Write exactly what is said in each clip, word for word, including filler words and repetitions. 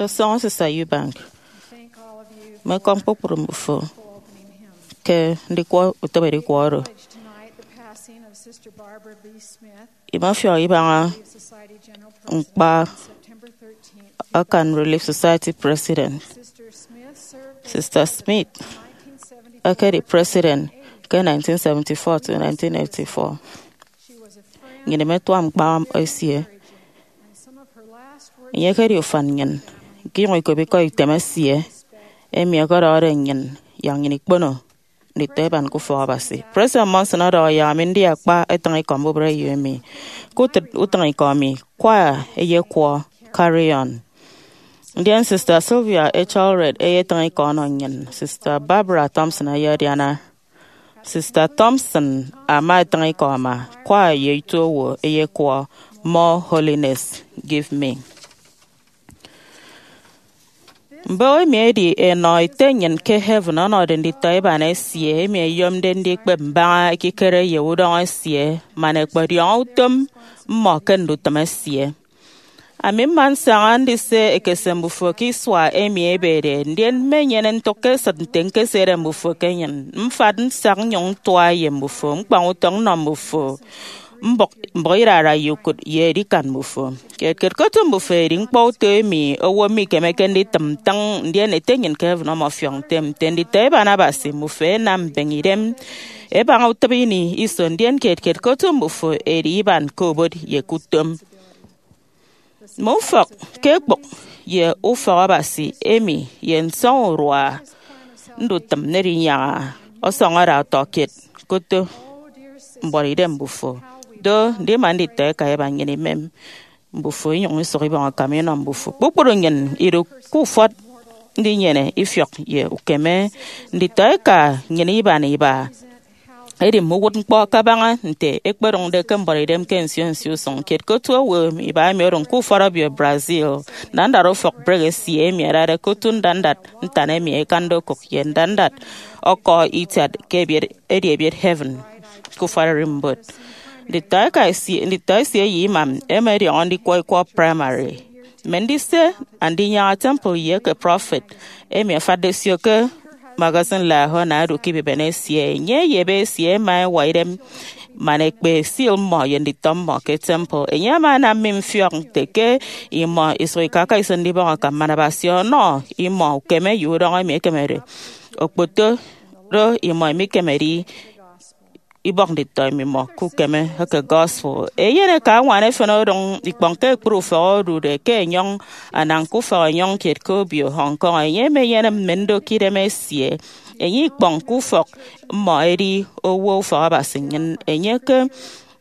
Ọsọñọ Sista Eubank mme ekọñ kpukpru mbufo ke ndikwọ utịbe edikwọ oro. Imefiọk ibaña ñkpa akan Relief Society President. Sista Smith ekedi President ke nineteen seventy-four to nineteen eighty-four. Nnyịn imetuak ñkpa esie. Enye ekedi ufan nnyịn, ñkinyụñ ikop ikọ item esie, emi ọkọdọhọde nnyịn yak nnyịn ikpono nditọiban ke ufọk Abasi. President Monson ọdọhọ yak ami ndi akpa etịñikọ mbubreyo emi. Ke utịt utịñikọ mi, Choir eyekwọ Carry On. Ndien Sista Sylvia H. Allred eyetịñ ikọ ọnọ nnyịn. Sista Barbara Thompson eyediana. Sista Thompson ama etịñ ikọ ama, Choir ye Itu Owo eyekwọ More Holiness Give Me. Mbon emi edi enọ Ete nnyịn ke heaven ọnọde nditọiban esie emi ẹyomde ndikpep mbaña ekikere ye udọñọ esie man ẹkpọdiọñọ utom mmọ ke ndutịm esie. Ami mma nsaña ndise ekese mbufo ke isua emi ebede, ndien mmenyene ntụk ke esịt nte ñkesiede mbufo ke enyịn. Mfat nsak nnyụñ ntua ye mbufo, ñkpañ utọñ nnọ mbufo, mbụk mbụk idara ye ukụt ye edikan mbufo. Kiet kiet ke otu mbufo edi ñkpọuto emi owo mikemeke nditịm ntịñ, ndien Ete nnyịn ke heaven ọmọfiọk ntem nte nditọiban Abasi. Mbufo ẹnam mbeñe idem ẹbaña utịp ini iso, ndien kiet kiet ke otu mbufo edi iban ke obot ye ke utom. Mme ufọk ke ekpụk ye ufọk Abasi emi ye nsọñurua ndutịm nnerenyaña ọsọñọ ada ọtọkiet. Koto mbuọtidem mbufo. Do, ndima nditọeka iba nnyịn imem mbufo inyụñ isụk ibọñ akam inọ mbufo. Kpukpru nnyịn idu ke ufọt ndinyene ifiọk ye ukeme. Nditọeka nnyịn iban iba edi mme uwụtñkpọ kabaña nte ẹkpedụñde ke mbuọtidem ke nsio nsio usụñ kiet ke otu owo iba emi odụñ ke ufọt obio Brazil. Ndandat ufọk break esie emi adade ke otu ndandat ntan emi ẹkande okụk ye ndandat ọkọ itiat ke ebiet, edi ebiet heaven ke ufọt ererimbot. Nditọeka esie, nditọ esie ye imam ẹma ẹdiọñọ ndikwọ ikwọ primary. Mme ndise Andinyaña Temple ye eke prọfet emi afatde sio ke magazine Liahona ẹdu ke ibibene esie. Enye ye ebe esie ẹma ẹwa idem man ẹkpe seal mmọ ye nditọ mmọ ke temple. Enye ama anam mi mfiọk nte ke imọ isụk ikaka iso ndibọñ akam man Abasi ọnọ imọ ukeme ye udọñọ emi ekemede okpoto do imọ imikemede ibọk nditọ mmimọ ke ukeme eke gospel. Eyen eke añwan efen odụñ ikpọñ ke ekpri ufọk odude ke enyọñ anañ ke ufọk enyọñ kiet ke obio Hong Kong. Enye emenyene mme ndokidem esie. Enye ikpọñ ke ufọk mmọ edi owo ufọk Abasi nnyịn. Enye ke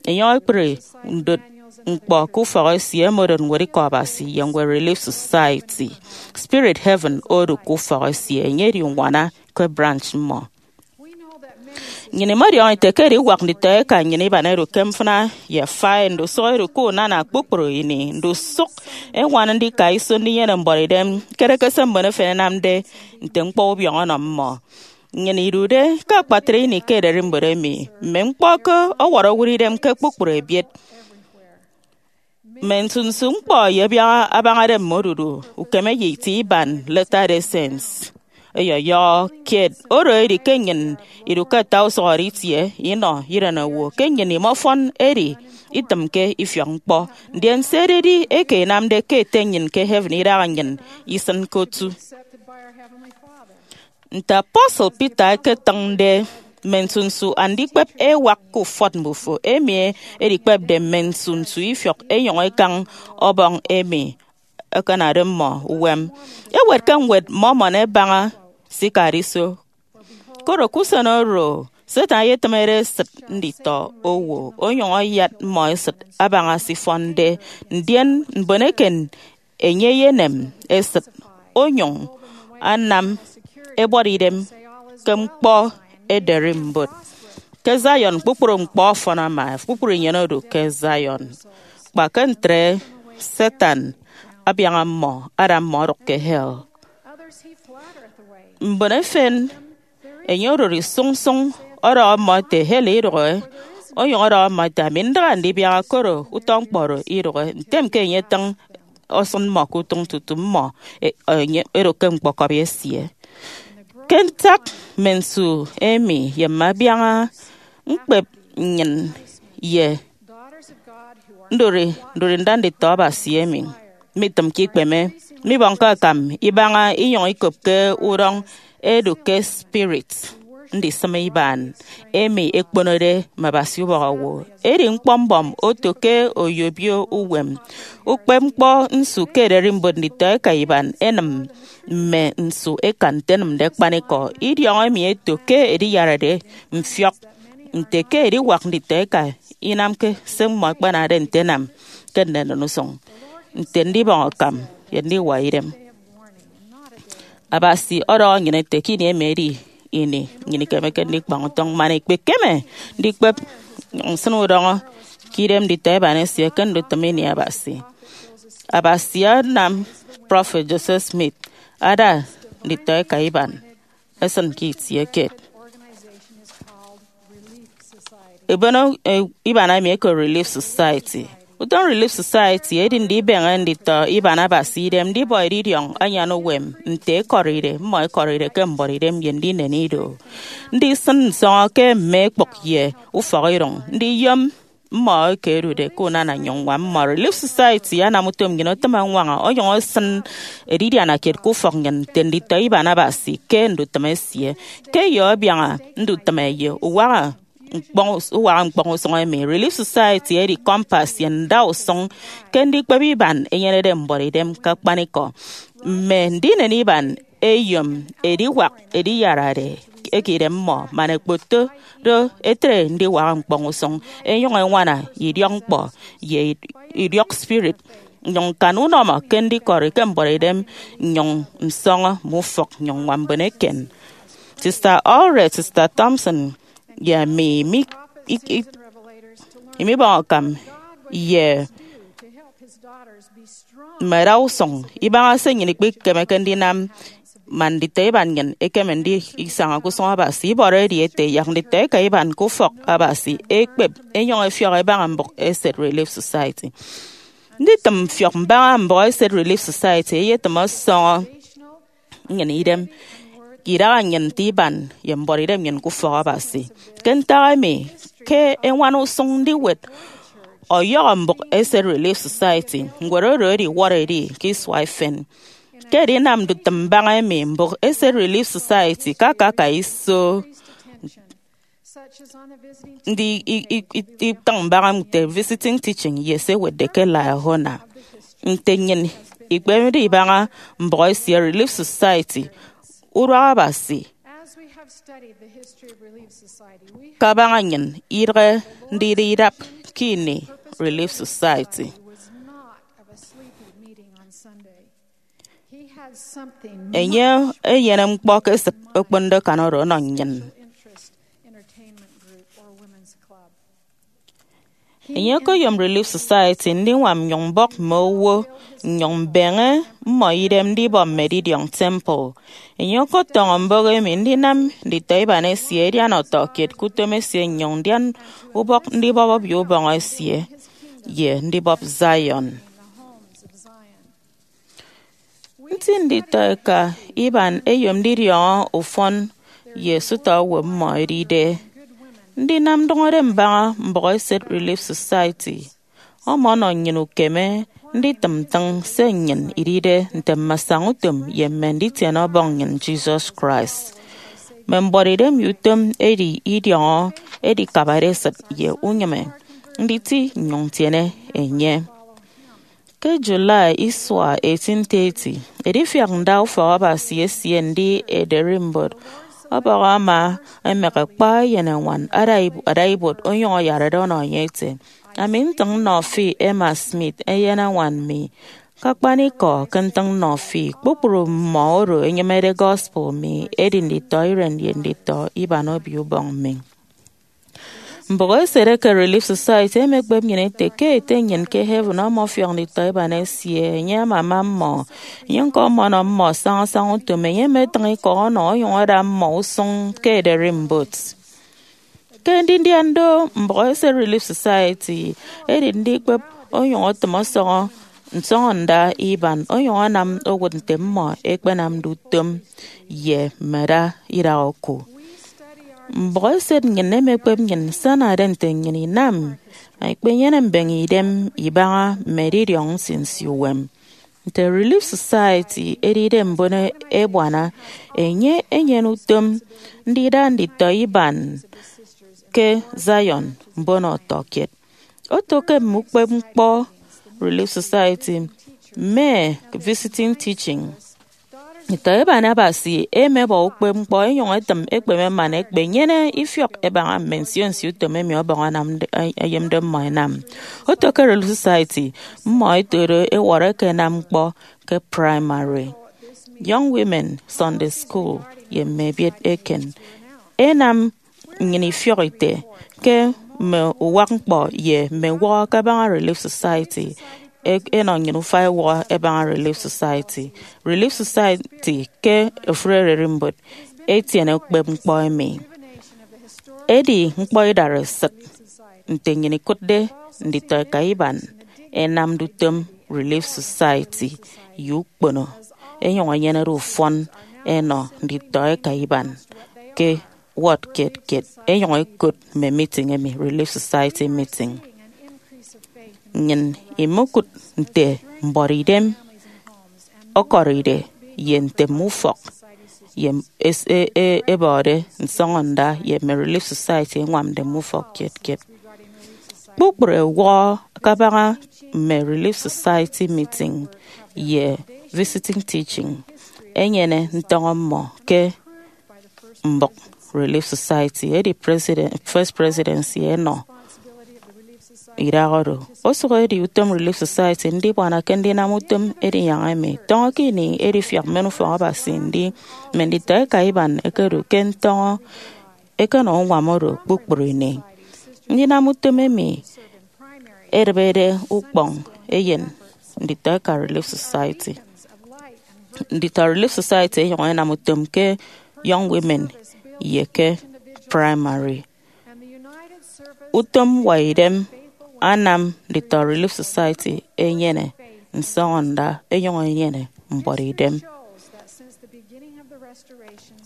enyọñ ekpri ndot ñkpọ ke ufọk esie, emodot ñwed ikọ Abasi ye ñwed Relief Society. Spirit Heaven odu ke ufọk esie. Enye edi uñwana ke branch mmọ. Nnyịn imọdiọñọ ite ke ediwak nditọeka nnyịn iban ẹdu ke mfịna ye afai, ndusụk ẹdu ke unana kpukpru ini, ndusụk ẹñwan ndika iso ndinyene mbuọtidem, kere ke se mbon efen ẹnamde nte ñkpọ ubiọñọ ọnọ mmọ. Nnyịn idude ke akpatre ini ke ererimbot emi, mme ñkpọ ke ọwọrọ owụt idem ke kpukpru ebiet. Mme nsunsu ñkpọ ye abiaña abañade mme odudu ukeme ye itie iban Latter-day Saints. Ẹyọyọhọ kiet oro edi ke nnyịn idu ke ata usụhọde itie inọ irenowo, ke nnyịn imọfọn edi itịmke ifiọk ñkpọ. Ndien se ededi eke inamde ke Ete nnyịn ke heaven idaha nnyịn isịn ke otu. Nte apostle Peter eketịñde, mme nsunsu andikpep ewak ke ufọt mbufo, emi edikpepde mme nsunsu ifiọk enyọñ ekañ Ọbọñ emi ẹkenade mmọ uwem. Ewet ke ñwed Mormon ẹbaña sikadiso. Koro ke usen oro, Satan eyetịmede esịt nditọ owo, onyụñ ayat mmọ esịt abaña se ifọnde, ndien mbon eken enye eyenem esịt, onyụñ anam ẹbuọt idem ke ñkpọ ederimbot. Ke Zion, kpukpru ñkpọ ọfọn ama, kpukpru inyene odu ke Zion. Kpa ke ntre, Satan abiaña mmọ, ada mmọ odụk ke hell. Mbon efen, enye odụri sụñsụñ, ọdọhọ mmọ ete, hell idụhe, onyụñ ọdọhọ mmọ ete, ami ndaha ndibiaha, koro utọ ñkpọ oro idụhe. Ntem ke enye etịñ ọsịn mmọ ke utụñ tutu mmọ e- enye edo ke ñkpọkọbi esie. Ke ntak mme nsu emi ye mme abiaña ñkpep nnyịn ye ndori ndori nda nditọ Abasi emi mitịmke ikpeme, mibọñke akam ibaña inyụñ ikopke udọñ edu ke spirit ndisịme iban emi ekponode mme abasi ubọk owo. Edi ñkpọ mbọm oto ke oyobio uwem ukpepñkpọ nsu ke ererimbot nditọeka iban ẹnịm mme nsu ẹkan nte ẹnịmde akpanikọ. Idiọñọ emi eto ke ediyarade mfiọk nte ke ediwak nditọeka inamke se mmọ ẹkpanade nte ẹnam ke nnennen usụñ, nte ndibọñ akam ye ndiwa idem. Abasi ọdọhọ nnyịn ete ke ini emi edi ini nnyịn ikemeke ndikpañ utọñ man ikpekeme ndikpep nnyụñ nsịn udọñọ ke idem nditọ iban esie ke ndutịm ini Abasi. Abasi anam Prọfet Joseph Smith ada nditọeka iban esịn ke itie kiet. Ebono iban emi eke Relief Society. Utọñ Relief Society edi ndibeñe nditọ iban Abasi idem ndibọ edidiọñ anyan uwem nte ekọride mmọ ekọride ke mbuọtidem ye ndinen ido, ndisịn nsọñọ ke mme ekpụk ye ufọkidụñ, ndiyom mmọ eke ẹdude ke unana nnyụñ ñwam mmọ. Relief Society anam utom nnyịn otịm añwaña onyụñ esịn edidianakiet ke ufọk nnyịn nte nditọ iban Abasi ke ndutịm esie. Ke eyo abiaña ndutịme ye uwaha ñkpọñ us- uwaha ñkpọñ usụñ emi, Relief Society edi kọmpas ye ndausụñ ke ndikpep iban enyenede mbuọtidem ke akpanikọ. Mme ndinen iban eyom ediwak ediyarade eke idem mmọ man ẹkpoto do etre ndiwaha ñkpọñ usụñ, ẹnyụñ ẹñwana idiọkñkpọ ye idiọk spirit, nnyụñ ñkan unọmọ ke ndikọri ke mbuọtidem, nnyụñ nsọñọ mme ufọk nnyụñ ññwam mbon eken. Sister Allred, Sister Thompson, ye ami mi- ik- ik- imibọñ akam ye mme dausụñ ibaña se nnyịn ikpikemeke ndinam man nditọ iban nnyịn ẹkeme ndisaña ke usụñ Abasi. Ibọrọ edi ete yak nditọeka iban ke ufọk Abasi ẹkpep ẹnyụñ ẹfiọk ẹbaña mbụk eset Relief Society. Nditịm mfiọk mbaña mbụk eset Relief Society eyetịm ọsọñọ nnyịn idem ke idaha nnyịn nte iban ye mbuọtidem nnyịn ke ufọk Abasi. Ke ntak emi, ke eñwan usụñ ndiwet ọyọhọ mbụk eset Relief Society, ñwed oro ediwọrọ edi ke isua efen. Ke edinam ndutịm mbaña emi, mbụk eset Relief Society ke akaka iso ndi i- i- i- itịñ mbaña nte visiting teaching ye se ewetde ke Liahona. Nte nnyịn ikpemede ibaña mbụk esie Relief Society, uduak Abasi kabaña nnyịn idịghe ndida idap ke ini Relief Society. Enye enyene ñkpọ ke esịt okponde akan oro ọnọ nnyịn. Enye okoyom Relief Society ndiñwam nnyụñ mbọk mme owo nnyụñ mbeñe mmọ idem ndibọ mme edidiọñ temple. Enye okotọñọ mbọk emi ndinam nditọ iban esie ẹdian ọtọkiet ke utom esie nnyụñ ndian ubọk ndibọp obio ubọñ esie ye ndibọp Zion. Nti nditọeka iban eyom ndidiọñọ ufọn ye sụta owo mmọ edide. Ndinam ndụñọde mbaña mbụk eset Relief Society ọmọnọ nnyịn ukeme nditịm ntịñ se nnyịn idide nte mme asañautom ye mme nditiene Ọbọñ nnyịn Jesus Christ. Mme mbuọtidem ye utom edi idiọñọ edikabade esịt ye unyịme nditi nnyụñ ntiene enye. Ke July isua eighteen thirty, edifiak nda ufọk Abasi esie ndi ederimbot ọbọhọ ama emek kpa eyenañwan ada ib- ada ibuot onyụñ ayarade ọnọ enye ete, "Ami ntịñ nnọ fi, Emma Smith, eyenañwan mi. Ke akpanikọ, ke ntịñ nnọ fi, kpukpru mmọ oro ẹnyịmede gospel mi ẹdi nditọ iren ye nditọ iban obio ubọñ mi." Mbụk eset eke Relief Society emekpep nnyịn ete ke Ete nnyịn ke heaven ọmọfiọk nditọ iban esie. Enye amama mmọ. Enye ñko ọmọnọ mmọ sañasaña utom. Enye emetịñ ikọ ọnọ onyụñ ada mmọ usụñ ke ederimbot. Ke ndindian do, mbụk eset Relief Society edi ndikpep onyụñ otịm ọsọñọ nsọñọnda iban onyụñ anam owụt nte mmọ ẹkpenamde utom ye mme ada idak oku. Mbụk eset nnyịn emekpep nnyịn nsinade nte nnyịn inam ikpenyene mbeñe idem ibaña mme edidiọñ nsinsi uwem. Nte Relief Society edide mbon ebuana, enye enyene utom ndida nditọ iban ke Zion mbon ọtọkiet. Oto ke mme ukpepñkpọ Relief Society, mme visiting teaching, nditọ iban Abasi ẹmebọ ukpepñkpọ ẹnyụñ ẹtịm ekpeme man ẹkpenyene ifiọk ẹbaña mme nsio nsio utom emi Ọbọñ anamde, ẹyomde mmọ ẹnam. Oto ke Relief Society, mmọ ẹto do ẹwọrọ ẹkenam ñkpọ ke praịmari, Young Women Sunday School, ye mme ebiet eken. Ẹnam nnyịn ifiọk ite ke mme uwak ñkpọ ye mme uwọhọ kabaña Relief Society e- ẹnọ nnyịn ufak ẹwọhọ ẹbaña Relief Society. Relief Society ke ofụri ererimbot etiene ukpepñkpọ emi. Edi ñkpọ idareesịt nte nnyịn ikụtde nditọ eka iban ẹnamde utom Relief Society ye ukpono, ẹnyụñ ẹnyenede ufọn ẹnọ nditọ eka iban ke ward kiet kiet, ẹnyụñ ẹkot mme meeting emi Relief Society meeting. Nnyịn imokụt nte mbuọtidem ọkọride ye nte mme ufọk ye es- e- e- ẹbọde nsọñọnda ye mme Relief Society ẹñwamde mme ufọk kiet kiet. Kpukpru ẹwọhọ kabaña mme Relief Society meeting ye visiting teaching ẹnyene ntọñọ mmọ ke mbụk Relief Society. Edi president, First Presidency ẹnọ idaha oro. Osụk edi utom Relief Society ndibuana ke ndinam utom edinyaña emi. Tọñọ ke ini edifiak mmen ufọk Abasi ndi mme nditọ eka iban ẹkedu ke ntọñọ ẹkenọ uñwam oro kpukpru ini. Ndinam utom emi edịbede ukpọñ eyen nditọ eka Relief Society. Nditọ Relief Society ẹnyụñ ẹnam utom ke Young Women ye ke praịmari. Utom ñwaidem anam nditọ Relief Society ẹnyene nsọñọnda ẹnyụñ ẹnyene mbuọtidem.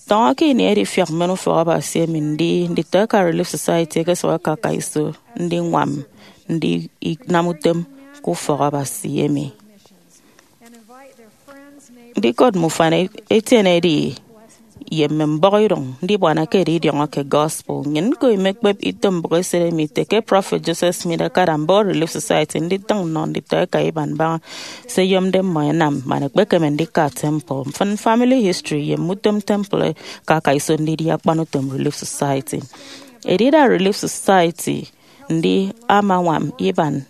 Tọñọ ke ini edifiak mmen ufọk Abasi emi ndi nditọ eka Relief Society ẹkesụk ẹkaka iso ndiñwam ndinam utom ke ufọk Abasi emi. Ndikot mme ufan etienede ye mme mbọhọidụñ ndibuana ke edidiọñọ ke gospel. Nnyịn ñko imekpep ito mbụk eset emi ite ke Prọfet Joseph Smith akada mbọhọ Relief Society nditịñ nnọ nditọ eka iban mbaña se ẹyomde mmọ ẹnam man ẹkpekeme ndika temple. Mfịn family history ye mme utom temple ẹkaka iso ndidi akpan utom Relief Society. Edida Relief Society ndi amañwam iban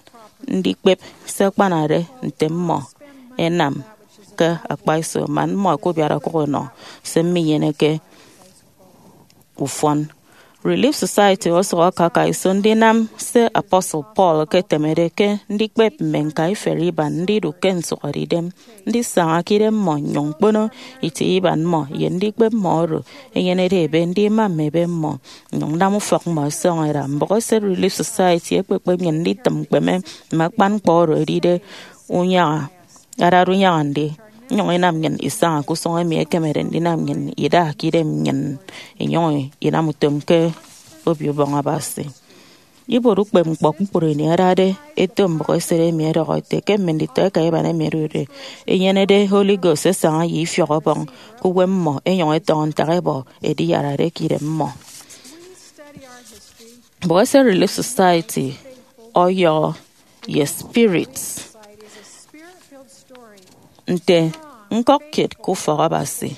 ndikpep se ẹkpanade nte mmọ ẹnam ke akpaiso man mmọ ẹkubiat okụk ẹnọ se minyeneke ufọn. Relief Society osụk akaka iso ndinam se Apostle Paul eketemede ke ndikpep mme ñkaiferi iban ndidu ke nsụhọdeidem, ndisaña ke idem mmọ nnyụñ ñkpono itie iban mmọ ye ndikpep mmọ oro ẹnyenede ebe, ndima mme ebe mmọ, nnyụñ nnam ufọk mmọ ẹsọñọ ẹda. Mbụk eset Relief Society ekpekpep nnyịn nditịm ñkpeme mme akpan ñkpọ oro ẹdide unyaña, adade unyaña ndi, inyụñ inam nnyịn isaña ke usụñ emi ekemede ndinam nnyịn ida ke idem nnyịn, inyụñ inam utom ke Obio Ubọñ Abasi. Ibuot ukpepñkpọ kpukpru ini adade eto mbụk eset emi ẹdọhọ ete ke mme nditọ eka iban emi ẹdude ẹnyenede Holy Ghost ẹsaña ye ifiọk Ọbọñ ke uwem mmọ, ẹnyụñ ẹtọñọ ntak ẹbọ ediyarade ke idem mmọ. Mbụk eset Relief Society ọyọhọ ye spirit nte ñkọk kiet ke ufọk Abasi.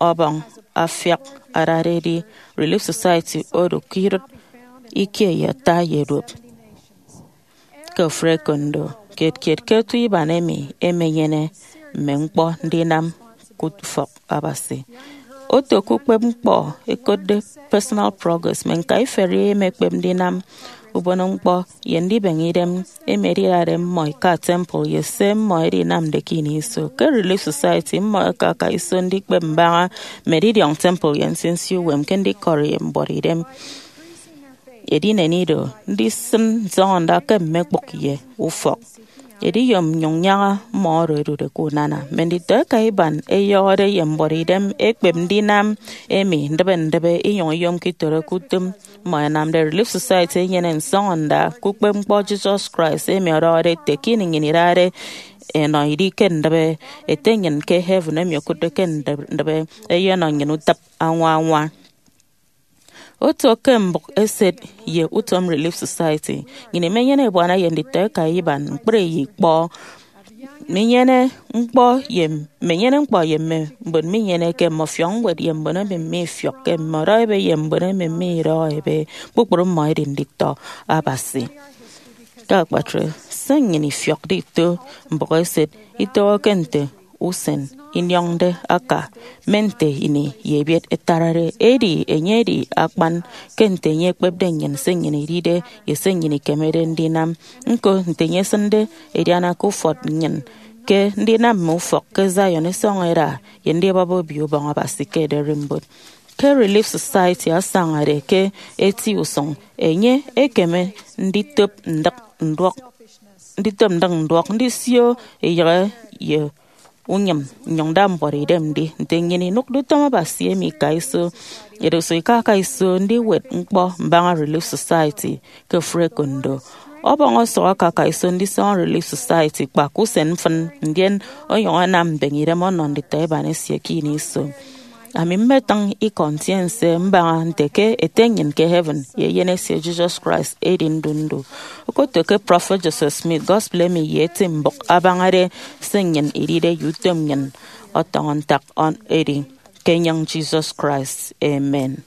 Ọbọñ afiak adade edi Relief Society odu ke idụt ikie ye ata ye duop. Ke ofụri ekondo kiet kiet ke otu iban emi emenyene mme ñkpọ ndinam ke ufọk Abasi. Oto ke ukpepñkpọ ẹkotde personal progress, mme ñkaiferi emekpep ndinam ubono ñkpọ ye ndibeñe idem emi edidade mmọ ika temple ye se mmọ edinamde ke ini iso. Ke Relief Society, mmọ ẹkaka iso ndikpep mbaña mme edidiọñ temple ye nsinsi uwem ke ndikọri ye mbuọtidem. Edinen ido, ndisịn nsọñọnda ke mme ekpụk ye ufọk. ediyom nnyụñ nyaña mmọ oro ẹdude ke unana. Mme nditọ ẹka iban ẹyọhọde ye mbuọtidem ekpep ndinam emi ndịbe ndịbe, inyụñ iyomke itoro ke utom mmọ ẹnamde. Relief Society enyene nsọñọnda ke ukpepñkpọ Jesus Christ, emi ọdọhọde ete ke ini nnyịn idade ẹnọ idi ke ndịbe, Ete nnyịn ke heaven emi okụtde ke ndịbe eyenọ nnyịn utịp añwa añwa. Oto ke mbụk eset ye utom Relief Society, nnyịn imenyene ebuana ye nditọ ẹka iban ñkpri ye ikpọ. Menyene ñkpọ ye menyene ñkpọ ye mme mbon minyeneke, mme ọfiọk ñwed ye mbon emi mifiọkke, mme ọdọ ebe ye mbon emi midọhọ ebe, kpukpru mmọ ẹdi nditọ Abasi. Ke akpatre, se nnyịn ifiọkde ito mbụk eset itoho ke nte usen inyọñde aka, mme nte ini ye ebiet ẹtarade. Edi enye edi akpan ke nte enye ekpepde nnyịn, se nnyịn idide, ye se nnyịn ikemede ndinam. Ñko, nte enye esịnde ediana ke ufọt nnyịn, ke ndinam mme ufọk ke Zion isọñ eda, ye ndibọp Obio Ubọñ Abasi ke ererimbot. Ke Relief Society asañade ke eti usụñ, enye ekeme nditop ndịk nduọk nditop ndịk nduọk, ndisio eyịghe ye unyịm, nnyụñ nda mbuọtidem ndi. Nte nnyịn inụkde utom Abasi emi ika iso, edusụk ikaka iso ndiwet ñkpọ mbaña Relief Society ke ofụri ekondo. Ọbọñ ọsọk akaka iso ndisọñọ Relief Society kpa ke usen mfịn, ndien onyụñ anam mbeñe idem ọnọ nditọ iban esie ke ini iso. Ami mmetịñ ikọ ntiense mbaña nte ke Ete nnyịn ke heaven ye Eyen esie Jesus Christ edi ndu ndu. Okoto ke Prọfet Joseph Smith gospel emi ye eti mbụk abañade se nnyịn idide ye utom nnyịn ọtọñọ ntak ọn edi ke enyịñ Jesus Christ. Amen.